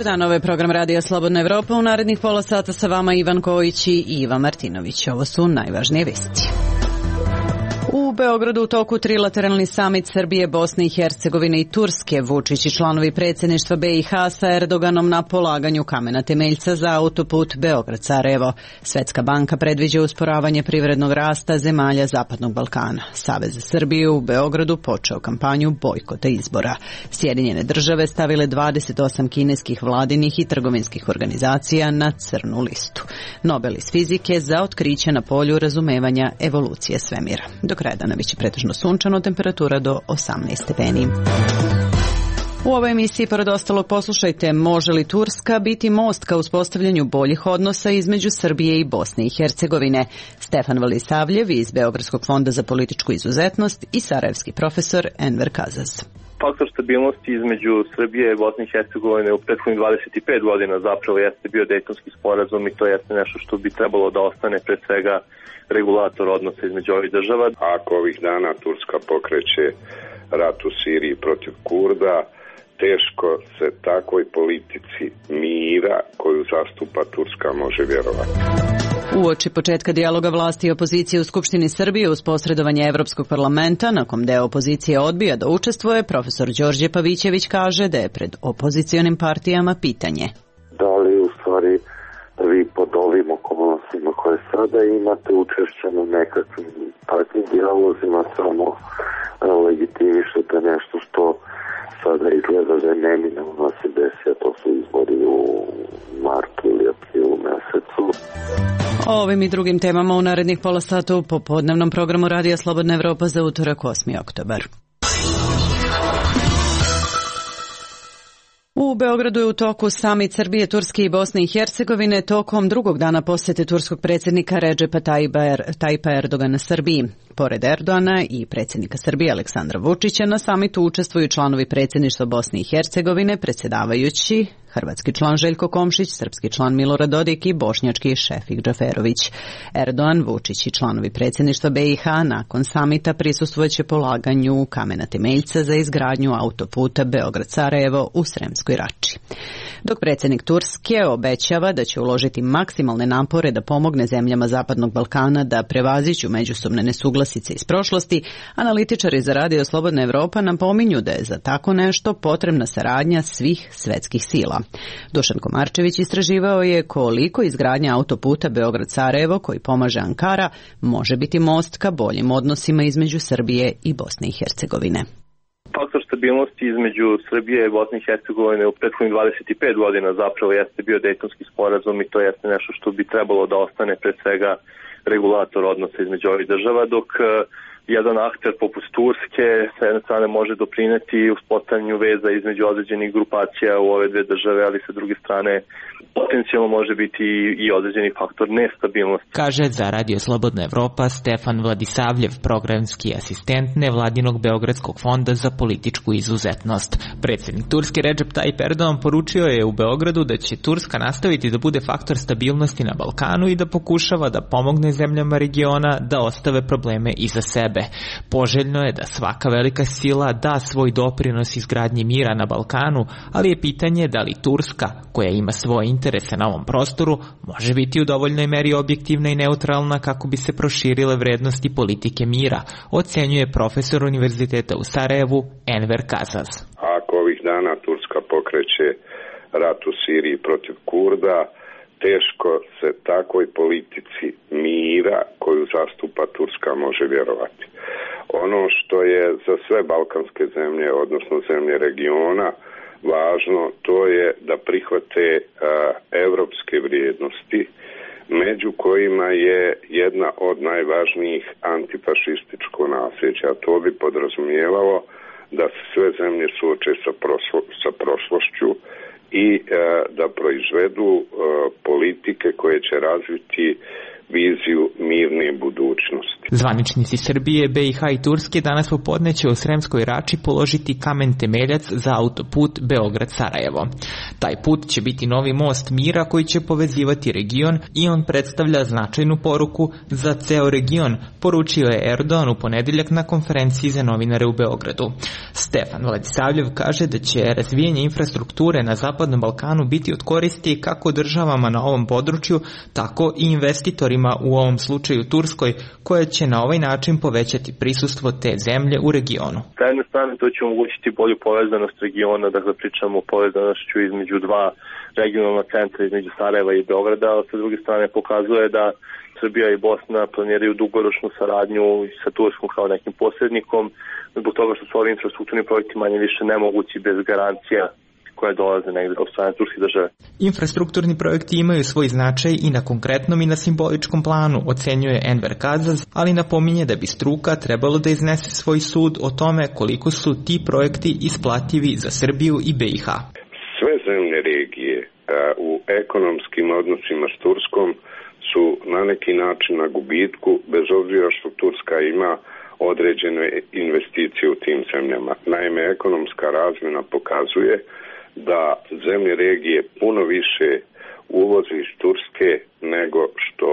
Dobar dan, ovo je program Radija Slobodna Evropa. U narednih pola sata sa vama Ivan Kojić i Iva Martinović. Ovo su najvažnije vesti. U Beogradu u toku trilateralni samit Srbije, Bosne i Hercegovine i Turske. Vučić i članovi predsjedništva BiH sa Erdoganom na polaganju kamena temeljca za autoput Beograd-Sarajevo. Svetska banka predviđa usporavanje privrednog rasta zemalja Zapadnog Balkana. Savez za Srbiju u Beogradu počeo kampanju bojkota izbora. Sjedinjene države stavile 28 kineskih vladinih i trgovinskih organizacija na crnu listu. Nobel iz fizike za otkriće na polju razumevanja evolucije svemira. Do kraja dana biće pretežno sunčano, temperatura do 18 stepeni. U ovoj emisiji, pored ostalog, poslušajte, može li Turska biti most ka uspostavljanju boljih odnosa između Srbije i Bosne i Hercegovine? Stefan Vladisavljev iz Beogradskog fonda za političku izuzetnost i sarajevski profesor Enver Kazaz. Faktor stabilnosti između Srbije i Bosne i Hercegovine u prethodnih 25 godina zapravo jeste bio Dejtonski sporazum i to jeste nešto što bi trebalo da ostane pre svega regulator odnosa između ovih država. Ako ovih dana Turska pokreće rat u Siriji protiv Kurda, teško se takvoj politici mira koju zastupa Turska može vjerovati. Uoči početka dijaloga vlasti i opozicije u Skupštini Srbije uz posredovanje Evropskog parlamenta, na kom deo opozicije odbija da učestvuje, profesor Đorđe Pavićević kaže da je pred opozicionim partijama pitanje. Da li u stvari vi pod ovim okolnostima koje sada imate učešće na nekakvim takvim dijalozima samo legitimišete nešto što sada izgleda da je neminovno se desi, a to su izbori u martu ili aprilu mesecu. O ovim i drugim temama u narednih pola sata u popodnevnom programu Radija Slobodna Evropa za utorak 8. oktobar. U Beogradu je u toku samit Srbije, Turske i Bosne i Hercegovine tokom drugog dana posjete turskog predsjednika Redžepa Tajipa Erdogana Srbiji. Pored Erdogana i predsjednika Srbije Aleksandra Vučića na samitu učestvuju članovi predsjedništva Bosne i Hercegovine, predsjedavajući hrvatski član Željko Komšić, srpski član Milorad Dodik i bošnjački Šefik Džaferović. Erdogan, Vučić i članovi predsjedništva BiH nakon samita prisustvovat polaganju kamena temeljca za izgradnju autoputa Beograd-Sarajevo u Sremskoj Rači. Dok predsjednik Turske obećava da će uložiti maksimalne napore da pomogne zemljama Zapadnog Balkana da prevaziđu međusobne nesuglasice iz prošlosti, analitičari za Radio Slobodna Evropa napominju da je za tako nešto potrebna saradnja svih svetskih sila. Dušan Komarčević istraživao je koliko izgradnja autoputa Beograd-Sarajevo, koji pomaže Ankara, može biti most ka boljim odnosima između Srbije i Bosne i Hercegovine. Faktor stabilnosti između Srbije i Bosne i Hercegovine u prethodnih 25 godina zapravo jeste bio Dejtonski sporazum i to jeste nešto što bi trebalo da ostane pre svega regulator odnosa između ovih država, dok jedan akter poput Turske sa jedne strane može doprineti uspostavljanju veza između određenih grupacija u ove dve države, ali sa druge strane potencijalno može biti i određeni faktor nestabilnosti. Kaže za Radio Slobodna Evropa Stefan Vladisavljev, programski asistent nevladinog Beogradskog fonda za političku izuzetnost. Predsjednik Turske Redžep Tajip Erdogan poručio je u Beogradu da će Turska nastaviti da bude faktor stabilnosti na Balkanu i da pokušava da pomogne zemljama regiona da ostave probleme iza sebe. Poželjno je da svaka velika sila da svoj doprinos izgradnji mira na Balkanu, ali je pitanje da li Turska, koja ima svoje interese na ovom prostoru, može biti u dovoljnoj meri objektivna i neutralna kako bi se proširile vrednosti politike mira, ocenjuje profesor Univerziteta u Sarajevu Enver Kazaz. Ako ovih dana Turska pokreće rat u Siriji protiv Kurda, teško se takvoj politici mira koju zastupa Turska može vjerovati. Ono što je za sve balkanske zemlje, odnosno zemlje regiona, važno, to je da prihvate evropske vrijednosti, među kojima je jedna od najvažnijih antifašističko nasljeđe, a to bi podrazumijevalo da se sve zemlje suoče sa prošlošću i da proizvedu politike koje će razviti viziju mirne budućnosti. Zvaničnici Srbije, BiH i Turske danas popodne će u Sremskoj Rači položiti kamen temeljac za autoput Beograd-Sarajevo. Taj put će biti novi most mira koji će povezivati region i on predstavlja značajnu poruku za ceo region, poručio je Erdogan u ponedeljak na konferenciji za novinare u Beogradu. Stefan Vladisavljev kaže da će razvijanje infrastrukture na Zapadnom Balkanu biti od koristi kako državama na ovom području, tako i investitorima, u ovom slučaju Turskoj, koja će na ovaj način povećati prisustvo te zemlje u regionu. Sa jedne strane to će omogućiti bolju povezanost regiona, dakle pričamo o povezanošću između dva regionalna centra, između Sarajeva i Beograda, a sa druge strane pokazuje da Srbija i Bosna planiraju dugoročnu saradnju sa Turskom kao nekim posrednikom, zbog toga što su ovi infrastrukturni projekti manje više nemogući bez garancija koje dolaze negde od strane turske države. Infrastrukturni projekti imaju svoj značaj i na konkretnom i na simboličkom planu, ocenjuje Enver Kazaz, ali napominje da bi struka trebalo da iznese svoj sud o tome koliko su ti projekti isplativi za Srbiju i BiH. Sve zemlje regije u ekonomskim odnosima s Turskom su na neki način na gubitku, bez obzira što Turska ima određene investicije u tim zemljama. Naime, ekonomska razmjena pokazuje da zemlje regije puno više uvoze iz Turske nego što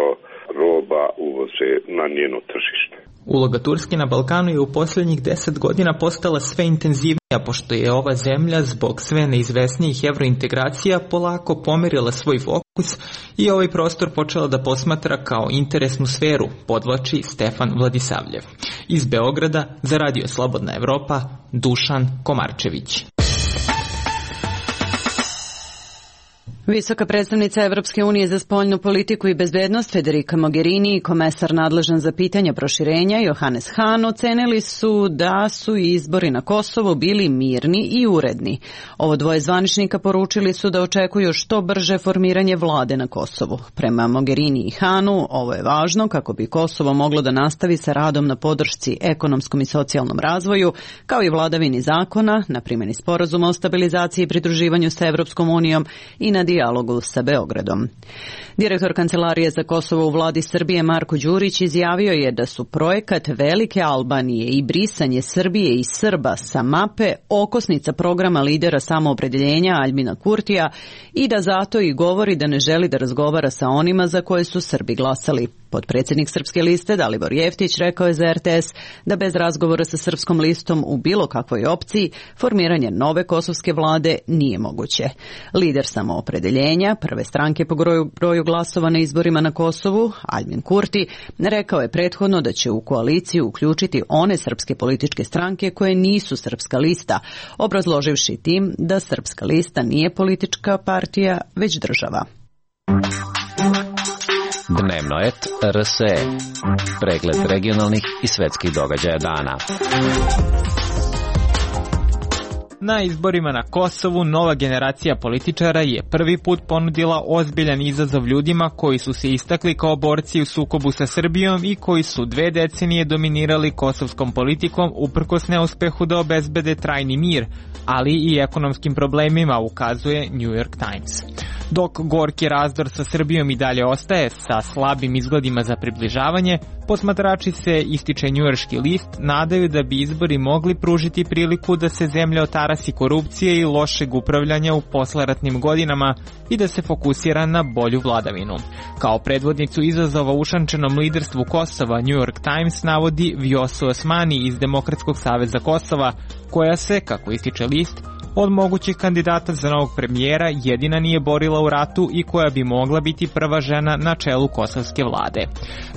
roba uvoze na njeno tržište. Uloga Turske na Balkanu je u posljednjih 10 godina postala sve intenzivnija, pošto je ova zemlja zbog sve neizvesnijih evrointegracija polako pomerila svoj fokus i ovaj prostor počela da posmatra kao interesnu sferu, podvlači Stefan Vladisavljev. Iz Beograda za Radio Slobodna Evropa, Dušan Komarčević. Visoka predstavnica Evropske unije za spoljnu politiku i bezbednost Federica Mogherini i komesar nadležan za pitanja proširenja Johannes Hahn ocenili su da su izbori na Kosovu bili mirni i uredni. Ovo dvoje zvaničnika poručili su da očekuju što brže formiranje vlade na Kosovu. Prema Mogherini i Hahnu ovo je važno kako bi Kosovo moglo da nastavi sa radom na podršci ekonomskom i socijalnom razvoju, kao i vladavini zakona, na primjeni sporazuma o stabilizaciji i pridruživanju sa Evropskom unijom i na dijalogu sa Beogradom. Direktor Kancelarije za Kosovo u vladi Srbije Marko Đurić izjavio je da su projekat Velike Albanije i brisanje Srbije i Srba sa mape okosnica programa lidera samoopredeljenja Aljbina Kurtija i da zato i govori da ne želi da razgovara sa onima za koje su Srbi glasali. Potpredsjednik Srpske liste Dalibor Jeftić rekao je za RTS da bez razgovora sa Srpskom listom u bilo kakvoj opciji formiranje nove kosovske vlade nije moguće. Lider samoopredeljenja, prve stranke po broju glasova na izborima na Kosovu, Aljbin Kurti, rekao je prethodno da će u koaliciju uključiti one srpske političke stranke koje nisu Srpska lista, obrazloživši tim da Srpska lista nije politička partija, već država. Dnevnoet RSE. Pregled regionalnih i svetskih događaja dana. Na izborima na Kosovu nova generacija političara je prvi put ponudila ozbiljan izazov ljudima koji su se istakli kao borci u sukobu sa Srbijom i koji su 2 decenije dominirali kosovskom politikom uprkos neuspehu da obezbede trajni mir, ali i ekonomskim problemima, ukazuje New York Times. Dok gorki razdor sa Srbijom i dalje ostaje sa slabim izgledima za približavanje, posmatrači se, ističe njujorški list, nadaju da bi izbori mogli pružiti priliku da se zemlja otarasi korupcije i lošeg upravljanja u posleratnim godinama i da se fokusira na bolju vladavinu. Kao predvodnicu izazova ušančenom liderstvu Kosova, New York Times navodi Vjosu Osmani iz Demokratskog saveza Kosova, koja se, kako ističe list, od mogućih kandidata za novog premijera jedina nije borila u ratu i koja bi mogla biti prva žena na čelu kosovske vlade.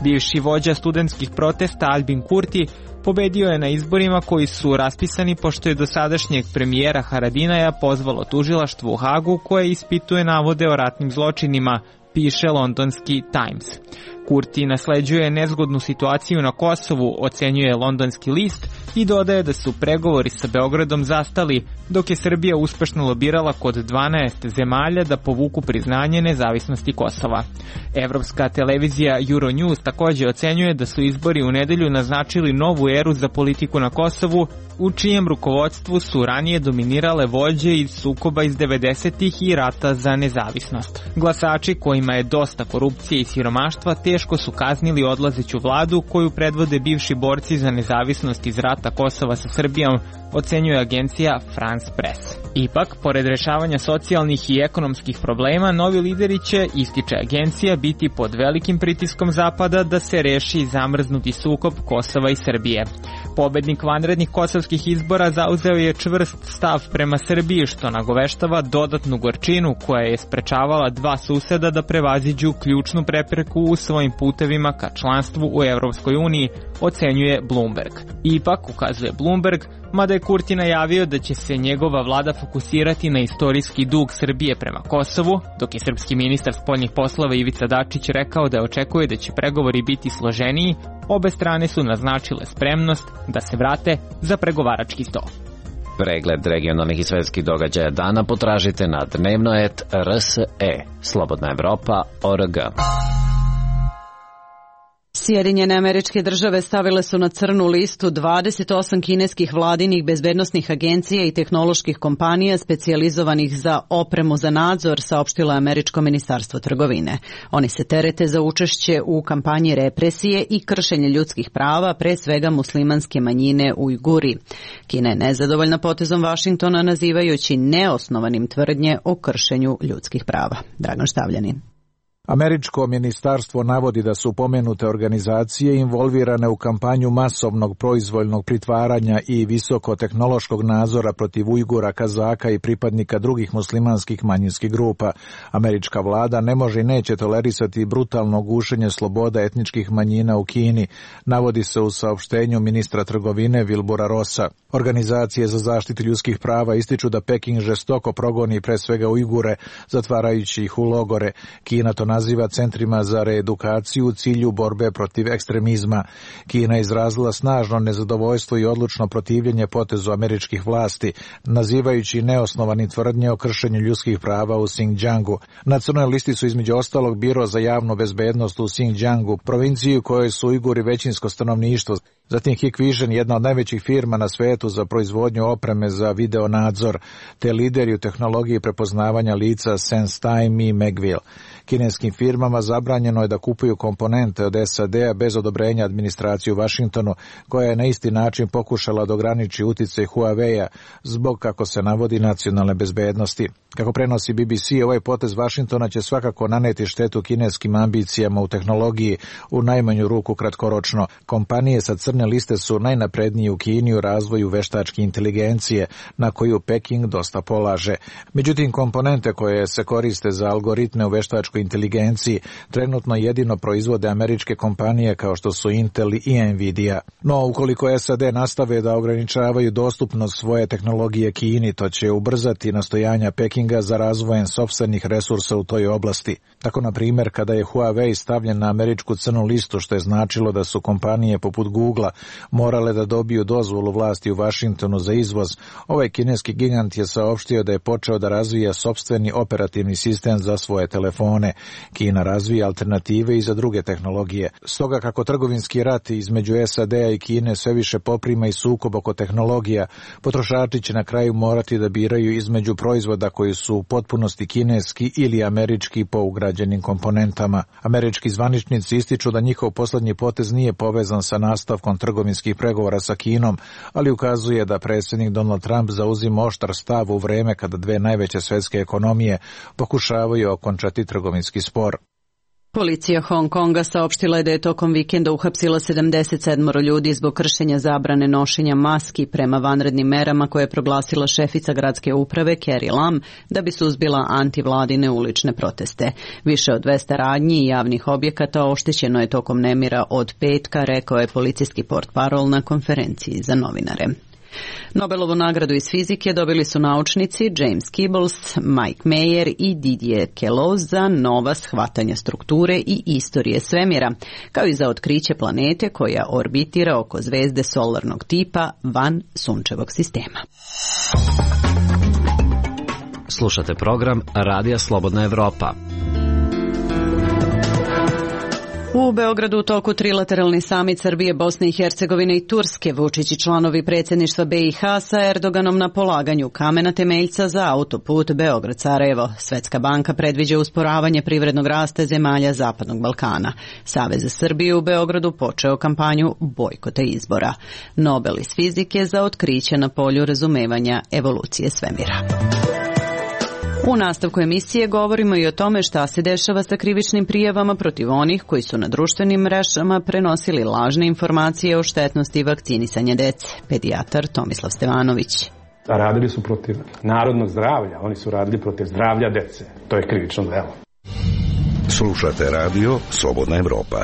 Bivši vođa studentskih protesta Aljbin Kurti pobedio je na izborima koji su raspisani pošto je dosadašnjeg premijera Haradinaja pozvalo tužilaštvo u Hagu koje ispituje navode o ratnim zločinima, piše londonski Times. Kurti nasleđuje nezgodnu situaciju na Kosovu, ocenjuje londonski list i dodaje da su pregovori sa Beogradom zastali, dok je Srbija uspešno lobirala kod 12 zemalja da povuku priznanje nezavisnosti Kosova. Evropska televizija Euronews također ocenjuje da su izbori u nedelju naznačili novu eru za politiku na Kosovu, u čijem rukovodstvu su ranije dominirale vođe iz sukoba iz 90-ih i rata za nezavisnost. Glasači kojima je dosta korupcije i siromaštva teško su kaznili odlazeću vladu koju predvode bivši borci za nezavisnost iz rata Kosova sa Srbijom, ocenjuje agencija France Press. Ipak, pored rešavanja socijalnih i ekonomskih problema, novi lideri će, ističe agencija, biti pod velikim pritiskom Zapada da se reši zamrznuti sukob Kosova i Srbije. Pobednik vanrednih kosovskih izbora zauzeo je čvrst stav prema Srbiji, što nagoveštava dodatnu gorčinu koja je sprečavala dva suseda da prevaziđu ključnu prepreku u svojim putevima ka članstvu u Evropskoj uniji, ocenjuje Bloomberg. Ipak, ukazuje Bloomberg, mada je Kurti najavio da će se njegova vlada fokusirati na istorijski dug Srbije prema Kosovu, dok je srpski ministar spoljnih poslova Ivica Dačić rekao da očekuje da će pregovori biti složeniji, obe strane su naznačile spremnost da se vrate za pregovarački sto. Pregled regionalnih i svetskih događaja dana potražite na dnevno.rs.e. Slobodna Evropa.org. Sjedinjene Američke Države stavile su na crnu listu 28 kineskih vladinih bezbednosnih agencija i tehnoloških kompanija specijalizovanih za opremu za nadzor, saopštilo Američko ministarstvo trgovine. Oni se terete za učešće u kampanji represije i kršenje ljudskih prava, pre svega muslimanske manjine Ujguri. Kina je nezadovoljna potezom Vašingtona, nazivajući neosnovanim tvrdnje o kršenju ljudskih prava. Dragan Štavljanin. Američko ministarstvo navodi da su pomenute organizacije involvirane u kampanju masovnog proizvoljnog pritvaranja i visokotehnološkog nadzora protiv Ujgura, Kazaka i pripadnika drugih muslimanskih manjinskih grupa. Američka vlada ne može i neće tolerisati brutalno gušenje sloboda etničkih manjina u Kini, navodi se u saopštenju ministra trgovine Wilbura Rossa. Organizacije za zaštitu ljudskih prava ističu da Peking žestoko progoni pre svega Ujgure, zatvarajući ih u logore. Kina to naziva centrima za reedukaciju u cilju borbe protiv ekstremizma. Kina je izrazila snažno nezadovoljstvo i odlučno protivljenje potezu američkih vlasti, nazivajući neosnovani tvrdnje o kršenju ljudskih prava u Xinjiangu. Na crnoj listi su između ostalog Biro za javnu bezbednost u Xinjiangu, provinciji u kojoj su Ujguri većinsko stanovništvo. Zatim Hikvision, jedna od najvećih firma na svetu za proizvodnju opreme za video nadzor, te lideri u tehnologiji prepoznavanja lica SenseTime i Megville. Kineskim firmama zabranjeno je da kupuju komponente od SAD-a bez odobrenja administracije u Vašingtonu, koja je na isti način pokušala da ograniči uticaj Huawei-a zbog, kako se navodi, nacionalne bezbednosti. Kako prenosi BBC, ovaj potez Vašingtona će svakako naneti štetu kineskim ambicijama u tehnologiji, u najmanju ruku kratkoročno. Kompanije sa crne liste su najnaprednije u Kini u razvoju veštačke inteligencije, na koju Peking dosta polaže. Međutim, komponente koje se koriste za algoritme u veštačkoj inteligenciji trenutno jedino proizvode američke kompanije kao što su Intel i Nvidia. No, ukoliko SAD nastave da ograničavaju dostupnost svoje tehnologije Kini, to će ubrzati nastojanja Pekinga za razvojem sopstvenih resursa u toj oblasti. Tako, na primjer, kada je Huawei stavljen na američku crnu listu, što je značilo da su kompanije poput Googlea morale da dobiju dozvolu vlasti u Vašingtonu za izvoz, ovaj kineski gigant je saopštio da je počeo da razvija sopstveni operativni sistem za svoje telefone. Kina razvija alternative i za druge tehnologije. Stoga, kako trgovinski rat između SAD-a i Kine sve više poprima i sukob oko tehnologija, potrošači će na kraju morati da biraju između proizvoda koji su u potpunosti kineski ili američki po ugrađenim komponentama. Američki zvaničnici ističu da njihov poslednji potez nije povezan sa nastavkom trgovinskih pregovora sa Kinom, ali ukazuje da predsjednik Donald Trump zauzima oštar stav u vreme kada dve najveće svetske ekonomije pokušavaju okončati trgovinski spor. Policija Hong Konga saopštila je da je tokom vikenda uhapsila 77 ljudi zbog kršenja zabrane nošenja maski prema vanrednim merama koje je proglasila šefica gradske uprave Carrie Lam da bi suzbila antivladine ulične proteste. Više od 200 radnji i javnih objekata oštećeno je tokom nemira od petka, rekao je policijski portparol na konferenciji za novinare. Nobelovu nagradu iz fizike dobili su naučnici James Peebles, Mike Mayer i Didier Queloz za nova shvatanja strukture i istorije svemira, kao i za otkriće planete koja orbitira oko zvezde solarnog tipa van sunčevog sistema. Slušate program Radija Slobodna Evropa. U Beogradu u toku trilateralni samit Srbije, Bosne i Hercegovine i Turske. Vučić i članovi predsjedništva BiH sa Erdoganom na polaganju kamena temeljca za autoput Beograd-Sarajevo. Svetska banka predviđa usporavanje privrednog rasta zemalja Zapadnog Balkana. Savez za Srbiju u Beogradu počeo kampanju bojkota izbora. Nobel iz fizike za otkriće na polju razumevanja evolucije svemira. U nastavku emisije govorimo i o tome šta se dešava sa krivičnim prijavama protiv onih koji su na društvenim mrežama prenosili lažne informacije o štetnosti vakcinisanja dece. Pedijatar Tomislav Stevanović. Radili su protiv narodnog zdravlja, oni su radili protiv zdravlja dece. To je krivično delo. Slušate radio Slobodna Evropa.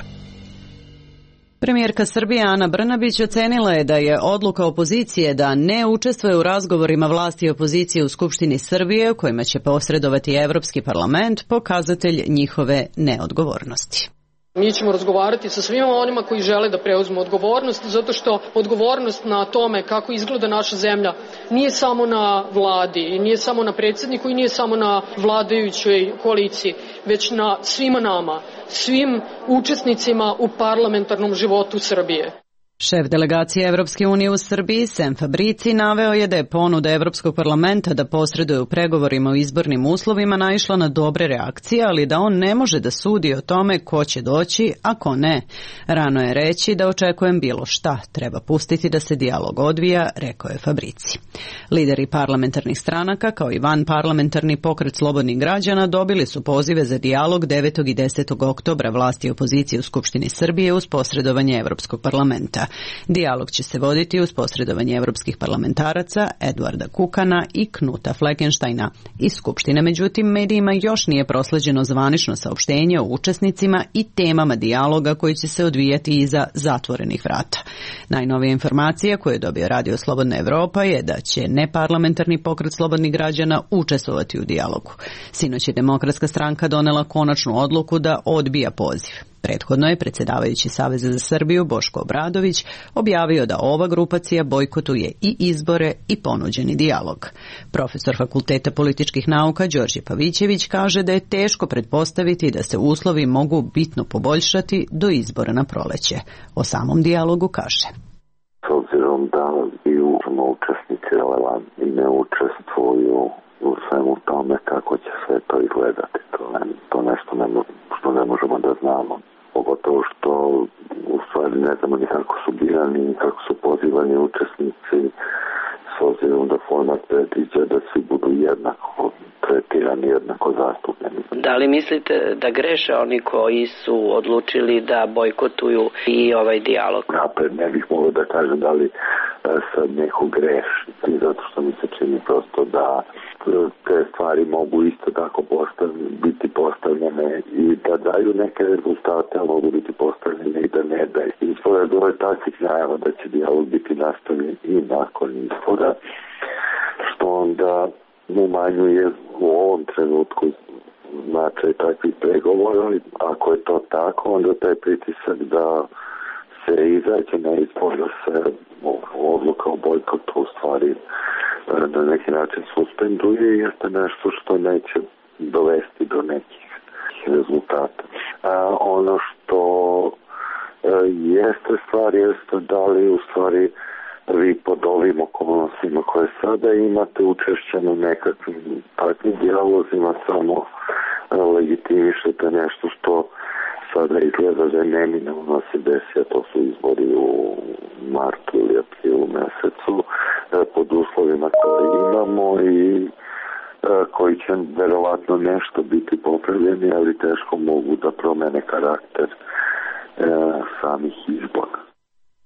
Premijerka Srbije Ana Brnabić ocenila je da je odluka opozicije da ne učestvuje u razgovorima vlasti i opozicije u Skupštini Srbije, u kojima će posredovati Evropski parlament, pokazatelj njihove neodgovornosti. Mi ćemo razgovarati sa svima onima koji žele da preuzmu odgovornost, zato što odgovornost na tome kako izgleda naša zemlja nije samo na vladi i nije samo na predsjedniku i nije samo na vladajućoj koaliciji, već na svima nama, svim učesnicima u parlamentarnom životu Srbije. Šef delegacije Evropske unije u Srbiji, Sem Fabrici, naveo je da je ponuda Evropskog parlamenta da posreduje u pregovorima o izbornim uslovima naišla na dobre reakcije, ali da on ne može da sudi o tome ko će doći, a ko ne. Rano je reći da očekujem bilo šta, treba pustiti da se dijalog odvija, rekao je Fabrici. Lideri parlamentarnih stranaka, kao i vanparlamentarni pokret slobodnih građana, dobili su pozive za dijalog 9. i 10. oktobra vlasti i opozicije u Skupštini Srbije uz posredovanje Evropskog parlamenta. Dijalog će se voditi uz posredovanje evropskih parlamentaraca Eduarda Kukana i Knuta Fleckensteina iz Skupštine. Međutim, medijima još nije prosleđeno zvanično saopštenje o učesnicima i temama dijaloga koji će se odvijati iza zatvorenih vrata. Najnovija informacija koju je dobio Radio Slobodna Evropa je da će neparlamentarni pokret slobodnih građana učestvovati u dijalogu. Sinoć je Demokratska stranka donela konačnu odluku da odbija poziv. Prethodno je predsjedavajući Saveza za Srbiju Boško Obradović objavio da ova grupacija bojkotuje i izbore i ponuđeni dijalog. Profesor Fakulteta političkih nauka Đorđe Pavićević kaže da je teško pretpostaviti da se uslovi mogu bitno poboljšati do izbora na proleće. O samom dijalogu kaže: S obzirom da i učesnici relevantni ne učestvuju u svemu tome kako će sve to izgledati, to nešto što ne možemo da znamo. Pogotovo što u stvari ne znamo ni kako su birani, ni kako su pozivani učesnici, s obzirom da format predviđa da svi budu jednako tretirani, jednako zastupljeni. Da li mislite da greše oni koji su odlučili da bojkotuju i ovaj dijalog? Napred ne bih mogao da kažem da li sad neko greši, zato što mi se čini prosto da te stvari mogu isto tako biti postavljene i da daju neke rezultate, a mogu biti postavljene i da ne daju. Ispod ove takvih najava da će dijalog biti nastavljen i nakon izbora, što onda umanjuje u ovom trenutku značaj takvih pregovora. Ako je to tako, onda taj pritisak da se izađe na izbor, da se odluka o bojkotu u stvari na neki način suspenduje, jeste nešto što neće dovesti do nekih rezultata. Ono što jeste stvar, jeste da li u stvari vi pod ovim okolnostima koje sada imate učešćeno nekakvim takvim dijalozima samo legitimišete nešto što sada izgleda da je neminovno se desi, a to su izbori u martu ili aprilu mesecu pod uslovima koje imamo i koji će verovatno nešto biti popravljeni, ali teško mogu da promene karakter samih izbora.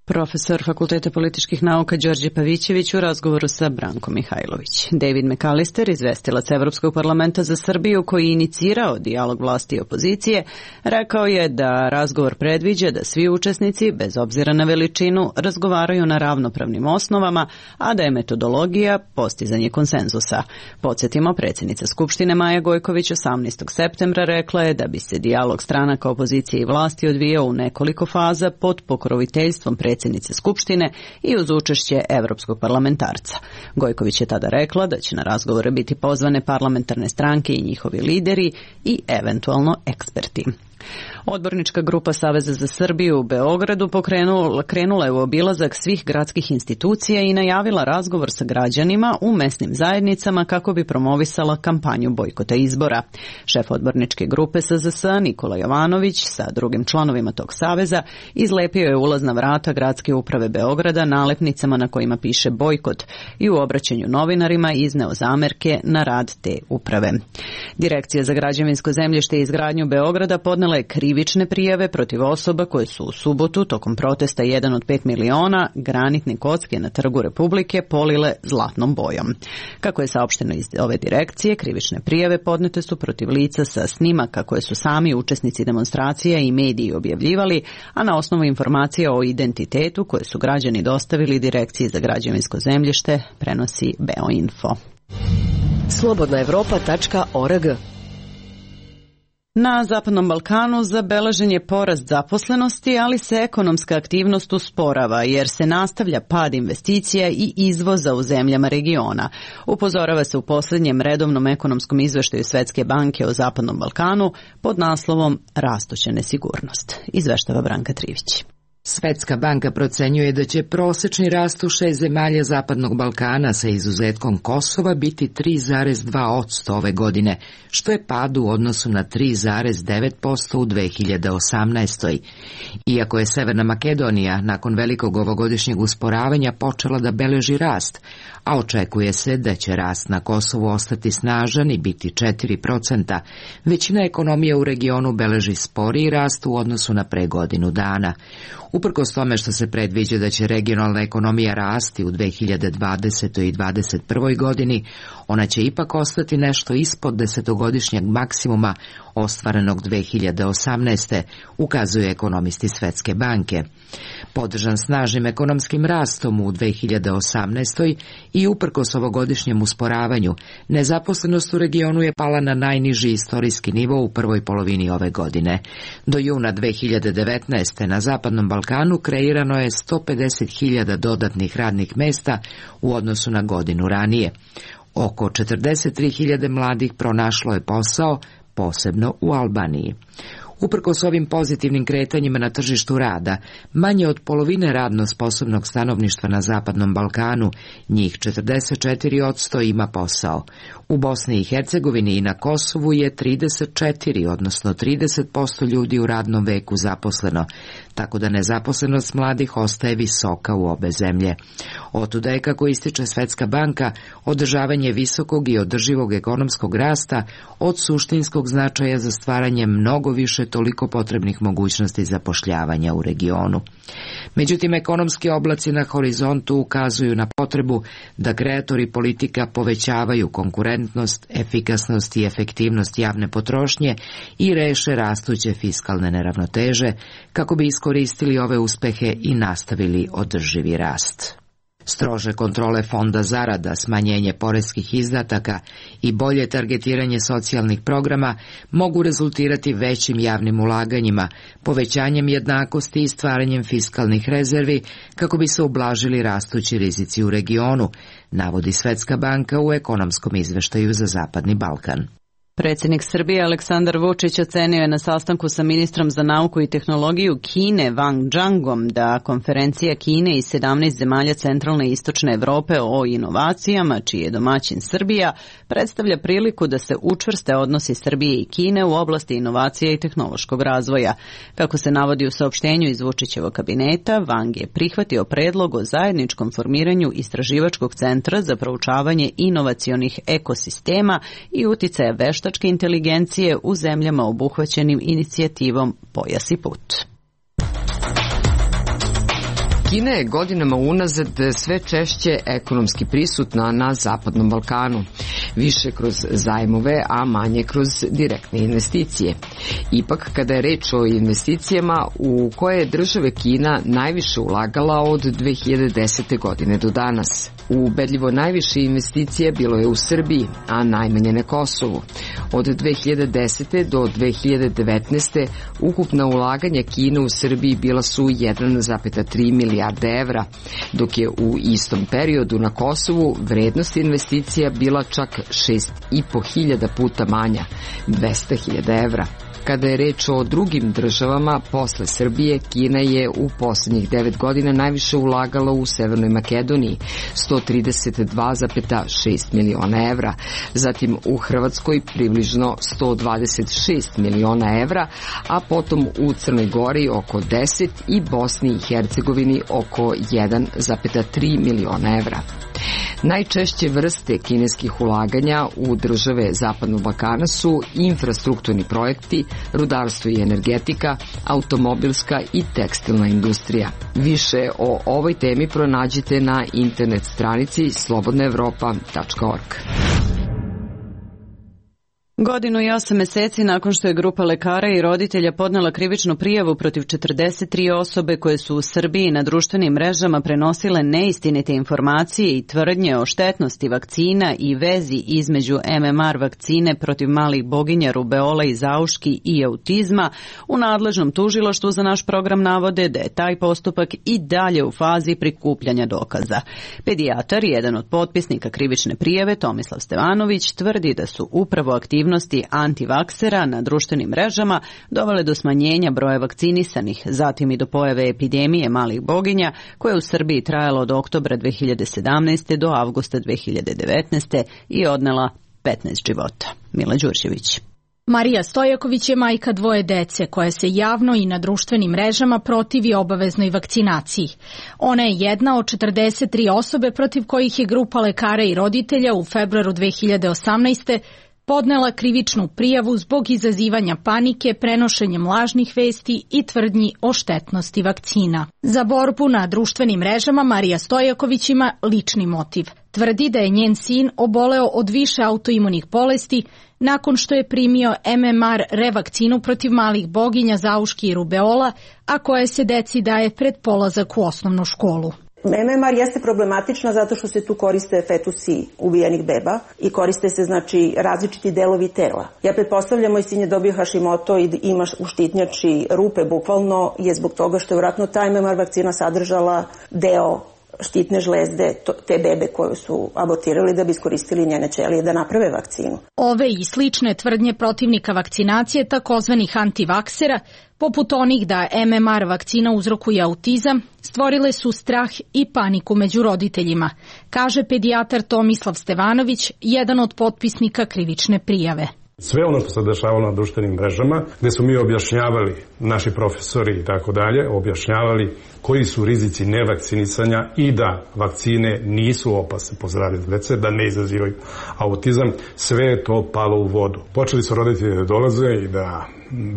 Profesor Fakulteta političkih nauka Đorđe Pavićević u razgovoru sa Brankom Mihajlović. David McAllister, izvestilac Evropskog parlamenta za Srbiju koji je inicirao dijalog vlasti i opozicije, rekao je da razgovor predviđa da svi učesnici, bez obzira na veličinu, razgovaraju na ravnopravnim osnovama, a da je metodologija postizanje konsenzusa. Podsjetimo, predsjednica Skupštine Maja Gojković 18. septembra rekla je da bi se dijalog stranaka opozicije i vlasti odvijao u nekoliko faza pod pokroviteljstvom predsjednice Skupštine i uz učešće evropskog parlamentarca. Gojković je tada rekla da će na razgovore biti pozvane parlamentarne stranke i njihovi lideri i eventualno eksperti. Odbornička grupa Saveza za Srbiju u Beogradu krenula je u obilazak svih gradskih institucija i najavila razgovor sa građanima u mesnim zajednicama kako bi promovisala kampanju bojkota izbora. Šef odborničke grupe SZS Nikola Jovanović sa drugim članovima tog saveza izlepio je ulazna vrata gradske uprave Beograda nalepnicama na kojima piše bojkot i u obraćanju novinarima izneo zamerke na rad te uprave. Direkcija za građevinsko zemljište i izgradnju Beograda podnela je krivične prijave protiv osoba koje su u subotu tokom protesta 1 od 5 miliona granitne kocke na Trgu Republike polile zlatnom bojom. Kako je saopšteno iz ove direkcije, krivične prijave podnete su protiv lica sa snimaka koje su sami učesnici demonstracija i mediji objavljivali, a na osnovu informacija o identitetu koje su građani dostavili Direkciji za građevinsko zemljište, prenosi Beoinfo. Slobodnaevropa.org. Na Zapadnom Balkanu zabeležen je porast zaposlenosti, ali se ekonomska aktivnost usporava jer se nastavlja pad investicija i izvoza u zemljama regiona. Upozorava se u posljednjem redovnom ekonomskom izveštaju Svetske banke o Zapadnom Balkanu pod naslovom Rastuća nesigurnost. Izveštava Branka Trivić. Svetska banka procenjuje da će prosečni rast u 6 zemalja Zapadnog Balkana sa izuzetkom Kosova biti 3,2% ove godine, što je pad u odnosu na 3,9% u 2018. Iako je Severna Makedonija nakon velikog ovogodišnjeg usporavanja počela da beleži rast, a očekuje se da će rast na Kosovu ostati snažan i biti 4%, većina ekonomija u regionu beleži sporiji rast u odnosu na pre godinu dana. Uprkos tome što se predviđa da će regionalna ekonomija rasti u 2020. i 2021. godini, ona će ipak ostati nešto ispod 10-godišnjeg maksimuma ostvarenog 2018. ukazuju ekonomisti Svetske banke. Podržan snažnim ekonomskim rastom u 2018. i uprkos ovogodišnjem usporavanju, nezaposlenost u regionu je pala na najniži istorijski nivo u prvoj polovini ove godine. Do juna 2019. na Zapadnom Balkanu kreirano je 150.000 dodatnih radnih mesta u odnosu na godinu ranije. Oko 43.000 mladih pronašlo je posao, posebno u Albaniji. Uprkos ovim pozitivnim kretanjima na tržištu rada, manje od polovine radno sposobnog stanovništva na Zapadnom Balkanu, njih 44% ima posao. U Bosni i Hercegovini i na Kosovu je 34, odnosno 30% ljudi u radnom veku zaposleno, tako da nezaposlenost mladih ostaje visoka u obe zemlje. Otuda je, kako ističe Svetska banka, održavanje visokog i održivog ekonomskog rasta od suštinskog značaja za stvaranje mnogo više toliko potrebnih mogućnosti zapošljavanja u regionu. Međutim, ekonomski oblaci na horizontu ukazuju na potrebu da kreatori politika povećavaju konkurentnost, efikasnost i efektivnost javne potrošnje i reše rastuće fiskalne neravnoteže kako bi iskoristili ove uspehe i nastavili održivi rast. Strože kontrole fonda zarada, smanjenje poreskih izdataka i bolje targetiranje socijalnih programa mogu rezultirati većim javnim ulaganjima, povećanjem jednakosti i stvaranjem fiskalnih rezervi kako bi se ublažili rastući rizici u regionu, navodi Svetska banka u ekonomskom izveštaju za Zapadni Balkan. Predsjednik Srbije Aleksandar Vučić ocenio je na sastanku sa ministrom za nauku i tehnologiju Kine Wang Zhangom da konferencija Kine i 17 zemalja centralne i istočne Evrope o inovacijama, čiji je domaćin Srbija, predstavlja priliku da se učvrste odnosi Srbije i Kine u oblasti inovacija i tehnološkog razvoja. Kako se navodi u saopštenju iz Vučićevog kabineta, Wang je prihvatio predlog o zajedničkom formiranju istraživačkog centra za proučavanje inovacionih ekosistema i uticaja veštačke inteligencije u zemljama obuhvaćenim inicijativom Pojas i put. Kina je godinama unazad sve češće ekonomski prisutna na Zapadnom Balkanu, više kroz zajmove, a manje kroz direktne investicije. Ipak, kada je reč o investicijama u koje je države Kina najviše ulagala od 2010. godine do danas. Ubedljivo najviše investicija bilo je u Srbiji, a najmanje na Kosovu. Od 2010. do 2019. ukupna ulaganja Kine u Srbiji bila su 1,3 milijarde evra, dok je u istom periodu na Kosovu vrednost investicija bila čak 6.500 puta manja, 200.000 evra. Kada je reč o drugim državama, posle Srbije, Kina je u poslednjih 9 godina najviše ulagala u Severnoj Makedoniji, 132,6 miliona evra, zatim u Hrvatskoj približno 126 miliona evra, a potom u Crnoj Gori oko 10 i Bosni i Hercegovini oko 1,3 miliona evra. Najčešće vrste kineskih ulaganja u države Zapadnog Balkana su infrastrukturni projekti, rudarstvo i energetika, automobilska i tekstilna industrija. Više o ovoj temi pronađite na internet stranici slobodnaevropa.org. Godinu i 8 meseci nakon što je grupa lekara i roditelja podnela krivičnu prijavu protiv 43 osobe koje su u Srbiji na društvenim mrežama prenosile neistinite informacije i tvrdnje o štetnosti vakcina i vezi između MMR vakcine protiv malih boginja, rubeola i zauški i autizma, u nadležnom tužilaštvu za naš program navode da je taj postupak i dalje u fazi prikupljanja dokaza. Pedijatar, jedan od potpisnika krivične prijave, Tomislav Stevanović, tvrdi da su upravo aktivnosti antivaksera na društvenim mrežama dovele do smanjenja broja vakcinisanih, zatim i do pojave epidemije malih boginja koja je u Srbiji trajala od oktobra 2017. do avgusta 2019. i odnela 15 života. Mila Đurđević. Marija Stojaković je majka 2 dece koja se javno i na društvenim mrežama protivi obaveznoj vakcinaciji. Ona je jedna od 43 osobe protiv kojih je grupa lekara i roditelja u februaru 2018. podnela krivičnu prijavu zbog izazivanja panike, prenošenjem lažnih vesti i tvrdnji o štetnosti vakcina. Za borbu na društvenim mrežama Marija Stojaković ima lični motiv. Tvrdi da je njen sin oboleo od više autoimunih bolesti nakon što je primio MMR revakcinu protiv malih boginja, zauški i rubeola, a koja se deci daje pred polazak u osnovnu školu. MMR jeste problematična zato što se tu koriste fetusi ubijenih beba i koriste se znači različiti delovi tela. Ja pretpostavljam, moj sin je dobio Hashimoto i ima u štitnjači rupe, bukvalno je zbog toga što je vjerojatno ta MMR vakcina sadržala deo štitne žlezde te bebe koju su abortirali da bi iskoristili njene ćelije da naprave vakcinu. Ove i slične tvrdnje protivnika vakcinacije, takozvanih antivaksera, poput onih da MMR vakcina uzrokuje autizam, stvorile su strah i paniku među roditeljima, kaže pedijatar Tomislav Stevanović, jedan od potpisnika krivične prijave. Sve ono što se dešavalo na društvenim mrežama, gde su mi objašnjavali, naši profesori i tako dalje, objašnjavali koji su rizici nevakcinisanja i da vakcine nisu opasne po zdravlje dece, da ne izazivaju autizam, sve je to palo u vodu. Počeli su roditelji da dolaze i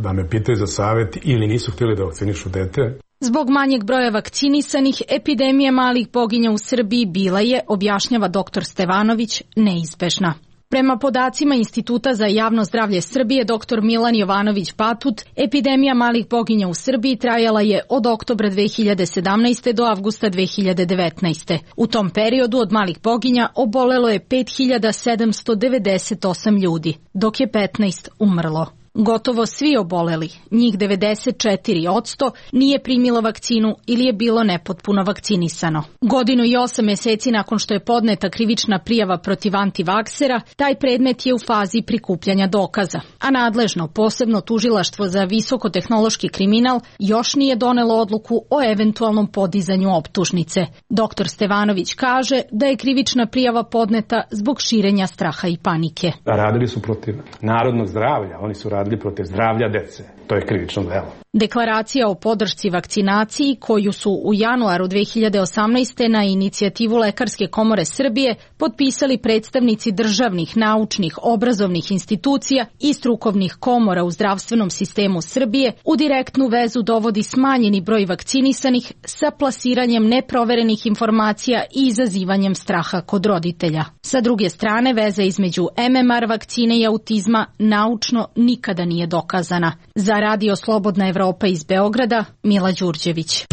da me pitaju za savjet ili nisu htjeli da vakcinišu dete. Zbog manjeg broja vakcinisanih, epidemija malih boginja u Srbiji bila je, objašnjava dr. Stevanović, neizbežna. Prema podacima Instituta za javno zdravlje Srbije, dr. Milan Jovanović-Batut, epidemija malih boginja u Srbiji trajala je od oktobra 2017. do avgusta 2019. U tom periodu od malih boginja obolelo je 5798 ljudi, dok je 15 umrlo. Gotovo svi oboleli, njih 94%, nije primilo vakcinu ili je bilo nepotpuno vakcinisano. Godinu i 8 meseci nakon što je podneta krivična prijava protiv antivaksera, taj predmet je u fazi prikupljanja dokaza, a nadležno posebno tužilaštvo za visokotehnološki kriminal još nije donelo odluku o eventualnom podizanju optužnice. Dr. Stevanović kaže da je krivična prijava podneta zbog širenja straha i panike. Radili su protiv narodnog zdravlja, oni su radili protiv zdravlja dece. To je krivično delo. Deklaracija o podršci vakcinaciji, koju su u januaru 2018. na inicijativu Lekarske komore Srbije potpisali predstavnici državnih, naučnih, obrazovnih institucija i strukovnih komora u zdravstvenom sistemu Srbije, u direktnu vezu dovodi smanjeni broj vakcinisanih sa plasiranjem neproverenih informacija i izazivanjem straha kod roditelja. Sa druge strane, veza između MMR vakcine i autizma naučno nikada nije dokazana. Za Radio Slobodna Evropa iz Beograda, Mila Đurđević.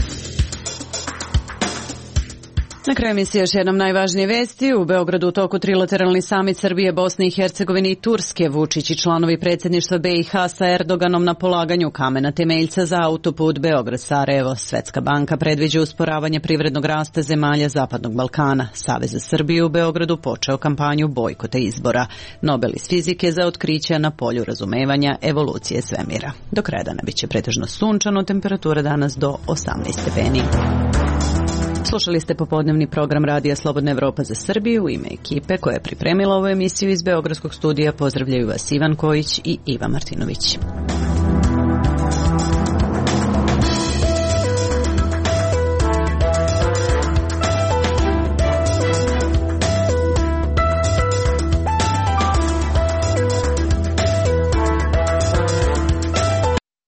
Na kraju emisije još jednom najvažnije vesti. U Beogradu u toku trilateralni samit Srbije, Bosne i Hercegovine i Turske. Vučić i članovi predsjedništva BiH sa Erdoganom na polaganju kamena temeljca za autoput Beograd-Sarajevo. Svetska banka predviđa usporavanje privrednog rasta zemalja Zapadnog Balkana. Savez za Srbiju u Beogradu počeo kampanju bojkota izbora. Nobel iz fizike za otkrića na polju razumevanja evolucije svemira. Do kraja dana biće pretežno sunčano, temperatura danas do 18 stepeni. Slušali ste popodnevni program Radija Slobodna Evropa za Srbiju. U ime ekipe koja je pripremila ovu emisiju iz Beogradskog studija pozdravljaju vas Ivan Kojić i Iva Martinović.